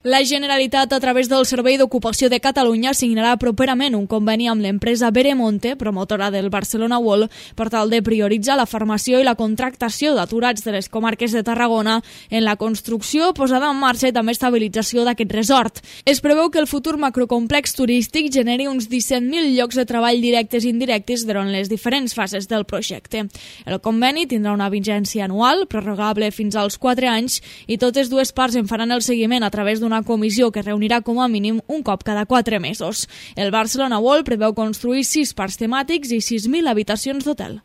La Generalitat, a través del Servei d'Ocupació de Catalunya, signarà properament un conveni amb l'empresa Veremonte, promotora del Barcelona World, per tal de prioritzar la formació i la contractació d'aturats de les comarques de Tarragona en la construcció, posada en marxa i també estabilització d'aquest resort. Es preveu que el futur macrocomplex turístic generi uns 17.000 llocs de treball directes i indirectes durant les diferents fases del projecte. El conveni tindrà una vigència anual, prorrogable fins als 4 anys, i totes dues parts en faran el seguiment a través d'una comissió que reunirà com a mínim un cop cada 4 mesos. El Barcelona World preveu construir 6 parcs temàtics i 6.000 habitacions d'hotel.